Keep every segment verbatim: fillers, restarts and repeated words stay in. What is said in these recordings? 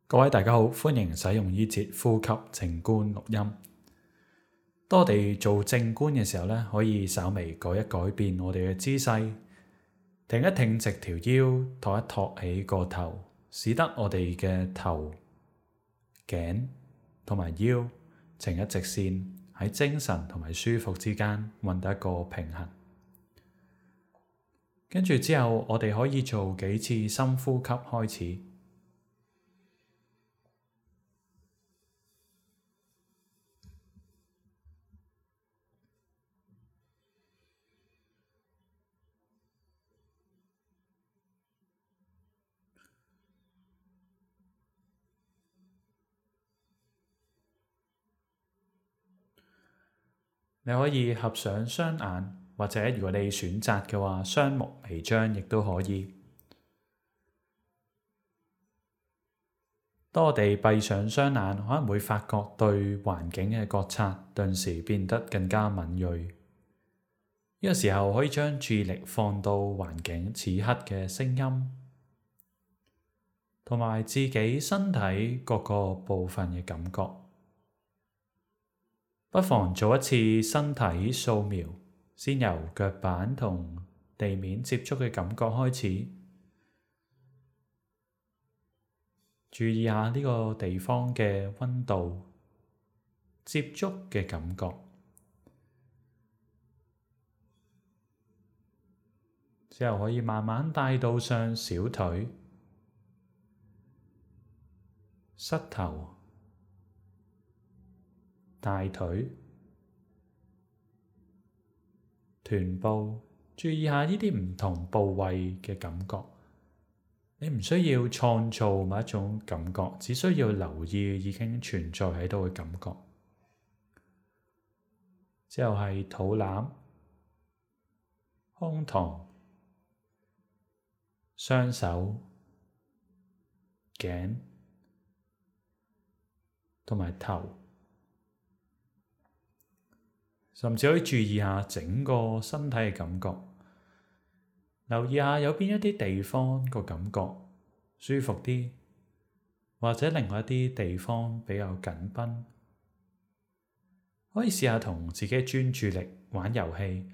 各位大家好，歡迎使用呢節呼吸靜觀錄音。當我哋做靜觀嘅時候咧，可以稍微改一改變我哋嘅姿勢，挺一挺直條腰，托一托起個頭，使得我哋嘅頭、頸同埋腰呈一直線，喺精神同埋舒服之間搵到一個平衡。跟住之後，我哋可以做幾次深呼吸開始。你可以合上雙眼，或者如果你選擇嘅話，雙目微張亦都可以。當我哋閉上雙眼，可能會發覺對環境嘅覺察頓時變得更加敏銳。呢個時候可以將注意力放到環境此刻嘅聲音，同埋自己身體各個部分嘅感覺。不妨做一次身體掃描，先由腳板同地面接觸嘅感覺開始，注意下呢個地方嘅溫度、接觸嘅感覺。之後可以慢慢帶到上小腿、膝頭、大腿、臀部，注意下呢啲唔同部位嘅感覺。你唔需要創造某一種感覺，只需要留意已經存在喺度嘅感覺。之後係肚腩、胸膛、雙手、頸同埋頭。甚至可以注意下整個身體嘅感覺，留意下有邊一啲地方個感覺舒服啲，或者另外一啲地方比較緊繃。可以試下同自己專注力玩遊戲，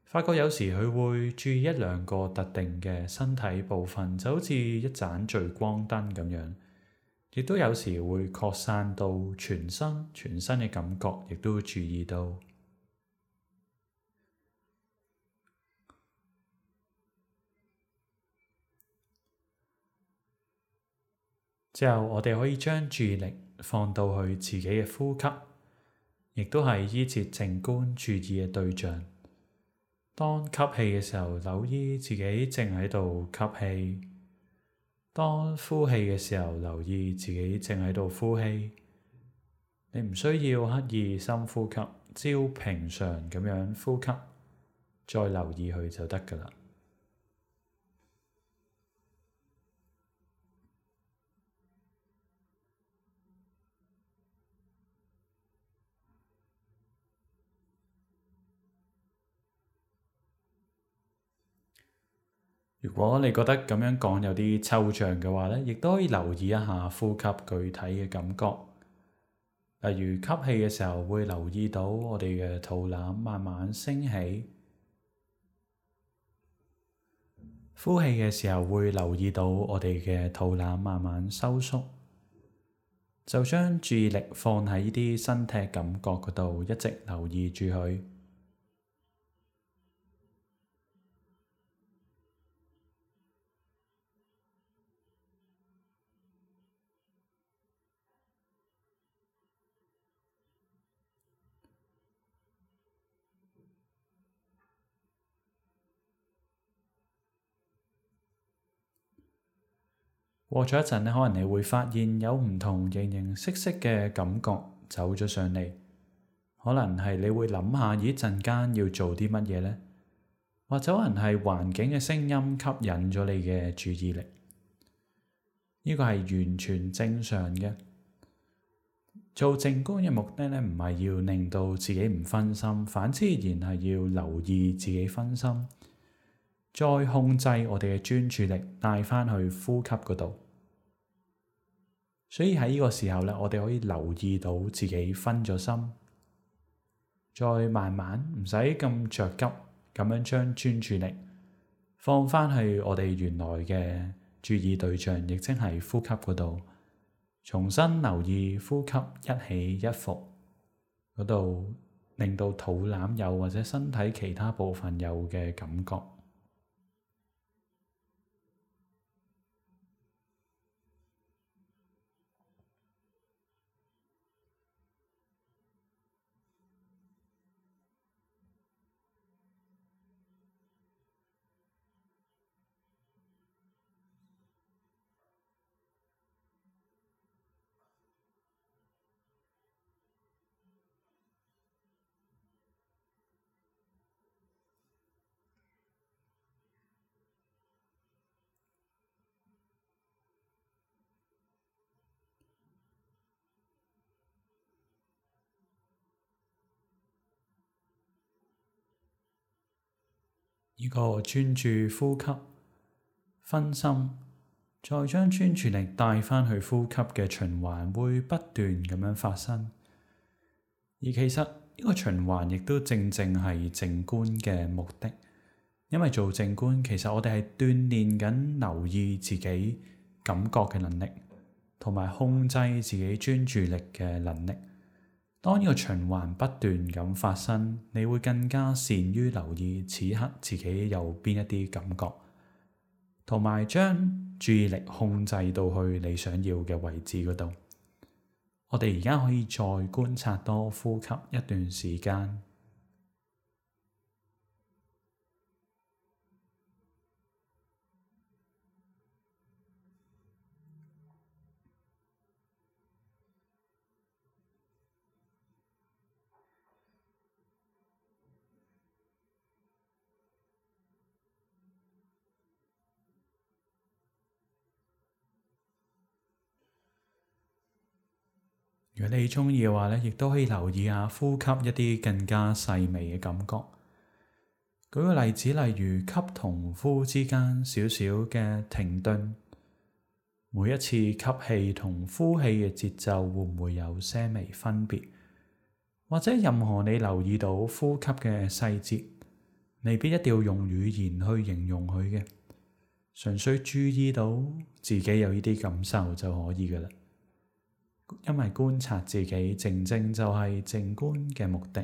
發覺有時佢會注意一兩個特定嘅身體部分，就好似一盞聚光燈咁樣，亦都有時會擴散到全身，全身嘅感覺亦都會注意到。之後，我哋可以將注意力放到去自己嘅呼吸，亦都係依節靜觀注意嘅對象。當吸氣嘅時候，留意自己正喺度吸氣；當呼氣嘅時候，留意自己正喺度呼氣。你唔需要刻意深呼吸，只要平常咁樣呼吸，再留意佢就得㗎喇。如果你覺得咁樣講有啲抽象嘅話咧，亦都可以留意一下呼吸具體嘅感覺。例如吸氣嘅時候，會留意到我哋嘅肚腩慢慢升起；呼氣嘅時候，會留意到我哋嘅肚腩慢慢收縮。就將注意力放喺呢啲身體感覺嗰度，一直留意住佢。過咗一陣咧，可能你會發現有唔同形形色色嘅感覺走咗上嚟。可能係你會諗下，咦，陣間要做啲乜嘢呢？或者可能係環境嘅聲音吸引咗你嘅注意力。呢個係完全正常嘅。做靜觀嘅目的咧，唔係要令到自己唔分心，反之然係要留意自己分心，再控制我哋嘅專注力帶返去呼吸嗰度。所以喺呢個時候咧，我哋可以留意到自己分咗心，再慢慢唔使咁着急咁樣將專注力放返去我哋原來嘅注意對象，亦即係呼吸嗰度，重新留意呼吸一起一伏嗰度，令到肚腩有或者身體其他部分有嘅感覺。呢個專注呼吸，分心，再將專注力帶返去呼吸嘅循環，會不斷咁樣發生。而其實呢個循環亦都正正係靜觀嘅目的，因為做靜觀，其實我哋係鍛煉緊留意自己感覺嘅能力，同埋控制自己專注力嘅能力。當呢個循環不斷咁發生，你會更加善於留意此刻自己有邊一啲感覺，同埋將注意力控制到去你想要嘅位置嗰度。我哋而家可以再觀察多呼吸一段時間。如果你鍾意嘅話咧，亦都可以留意下呼吸一啲更加細微嘅感覺。舉個例子，例如吸同呼之間少少嘅停頓，每一次吸氣同呼氣嘅節奏會唔會有些微分別？或者任何你留意到呼吸嘅細節，未必一定要用語言去形容佢嘅，純粹注意到自己有呢啲感受就可以㗎喇。因為觀察自己，正正就係靜觀嘅目的。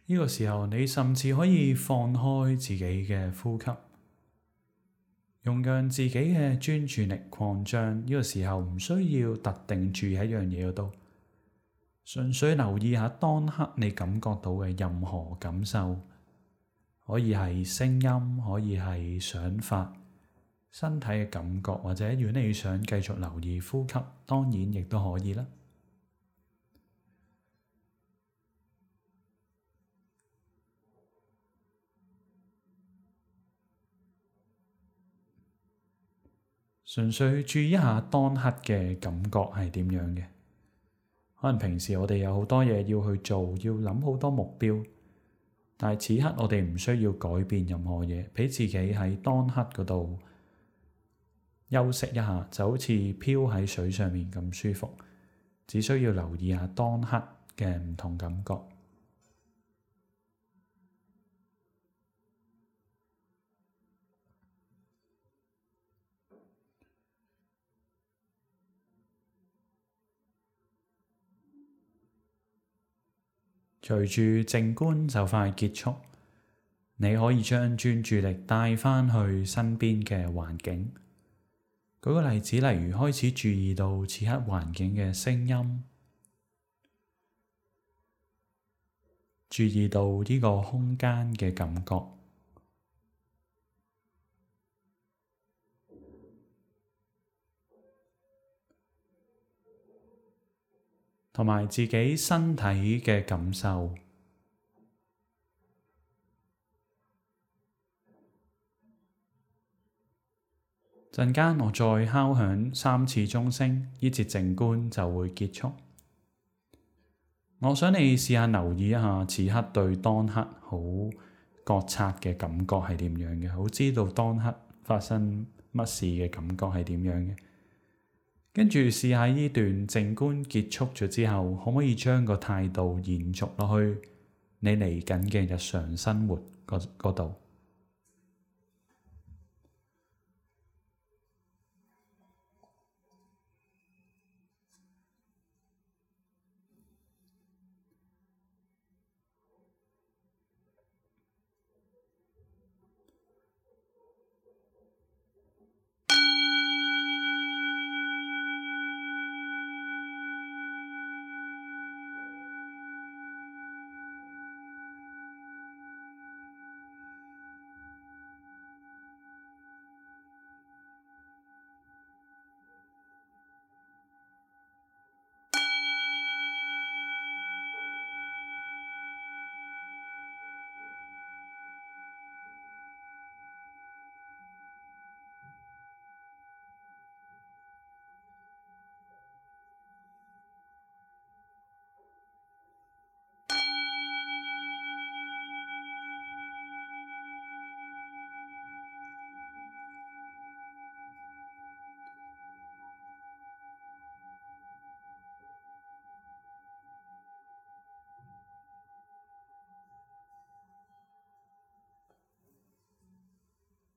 呢個時候，你甚至可以放開自己嘅呼吸，用讓自己嘅專注力擴張。呢個時候唔需要特定注意喺一樣嘢嗰度，純粹留意下當刻你感覺到嘅任何感受，可以係聲音，可以係想法、身體嘅感覺，或者如果你想繼續留意呼吸，當然亦都可以啦。純粹注意一下當刻嘅感覺係點樣嘅。可能平時我哋有好多嘢要去做，要諗好多目標，但係此刻我哋唔需要改變任何嘢，俾自己喺當刻嗰度休息一下，就好似漂喺水上面咁舒服。只需要留意下當刻嘅唔同感覺。隨住靜觀就快結束，你可以將專注力帶返去身邊嘅環境。舉個例子，例如開始注意到此刻環境嘅聲音，注意到呢個空間嘅感覺，同埋自己身體嘅感受。陣間我再敲響三次鐘聲，呢節靜觀就會結束。我想你試下留意一下此刻對當刻好覺察嘅感覺係點樣嘅，好知道當刻發生乜事嘅感覺係點樣嘅。跟住試下呢段靜觀結束咗之後，可唔可以將個態度延續落去你嚟緊嘅日常生活嗰度？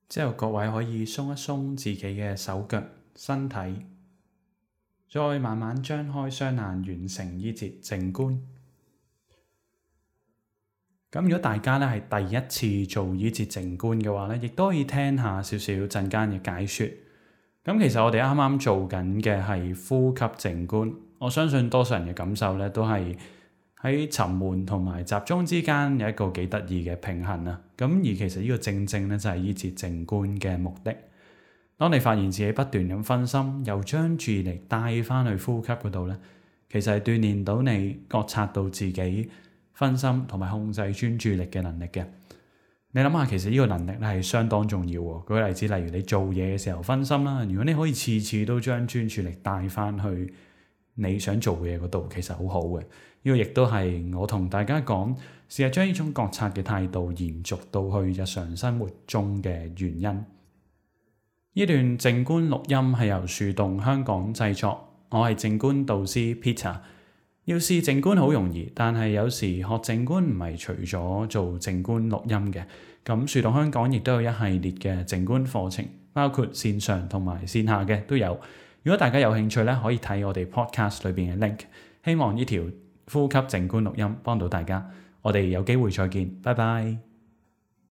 之後各位可以鬆一鬆自己嘅手腳、身體，再慢慢張開雙眼，完成呢節靜觀。咁如果大家咧係第一次做呢節靜觀嘅話咧，亦都可以聽下少少陣間嘅解說。咁其實我哋啱啱做緊嘅係呼吸靜觀，我相信多數人嘅感受咧都係喺沉悶同埋集中之間有一個幾得意嘅平衡啊！咁而其實呢個正正咧就係呢節靜觀嘅目的。當你發現自己不斷咁分心，又將注意力帶翻去呼吸嗰度咧，其實係鍛鍊到你覺察到自己分心同埋控制專注力嘅能力嘅。你諗下，其實呢個能力咧係相當重要喎。舉個例子，例如你做嘢嘅時候分心啦，如果你可以次次都將專注力帶翻去你想做嘅嘢嗰度，其實好好嘅。呢個亦都係我同大家講，試下將呢種覺察嘅態度延續到去日常生活中嘅原因。呢段靜觀錄音係由樹洞香港製作，我係靜觀導師 Peter。要試靜觀好容易，但係有時學靜觀唔係除咗做靜觀錄音嘅。咁樹洞香港亦都有一系列嘅靜觀課程，包括線上同埋線下嘅都有。如果大家有興趣咧，可以睇我哋 podcast 裏邊嘅 link。希望呢條呼吸靜觀錄音幫到大家，我哋有機會再見，拜拜。